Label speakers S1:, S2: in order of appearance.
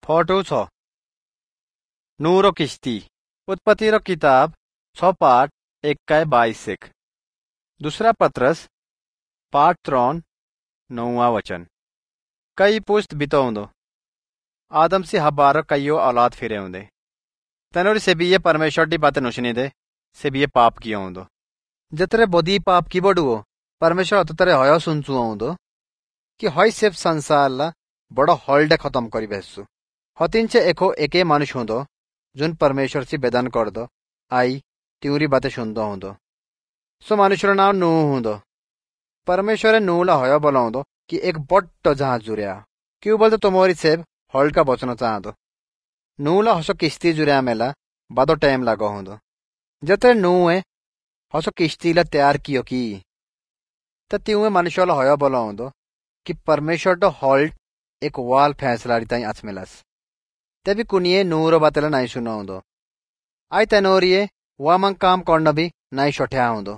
S1: Photo 6 neuro किश्ती। उत्पत्ति रो किताब 6 पाठ 1-22। दूसरा पत्रस पाठ 3 9वां वचन। कई पुश्त बितौंदो आदम से हबारो कईयो औलाद फिरे होंदे। तनोरी से भी ये परमेश्वर की बातें नुशनी दे से भी ये पाप किया होंदो। जतरे बोधी पाप की बडुओ परमेश्वर अतरे हयो सुनचु आउँदो कि हय सेब संसार ला बड़ो हॉलडे खत्म करी बेसु। हतिनचे एको एके मानुष होंदो जुन परमेश्वर से बेदान कर दो आई त्यूरी बातें सुनदो होंदो। सो मानुष रो नाम नूह होंदो। परमेश्वर नूह ला हयो बोलाउँदो कि एक बड्डो जहाज जुर्या क्यों बोलते तुमोरी सेब हॉल्ड का बचनो चाहदो। नूह ला हसो किश्ती जुर्या मेला बादो टाइम लागो होंदो। जतरे नूह हसो किश्ती ला तैयार कियो की त त्यूए मनुष्य ला हयो बोलाउँदो कि परमेश्वर तो हॉल्ड एक वाल फैसला ताई आचमेलास। तभी कुनिए नूह रो बातेला नाई सुनाउँदो। आई तनोरिए वा मंग काम करना भी नाई शोठ्या होंदो।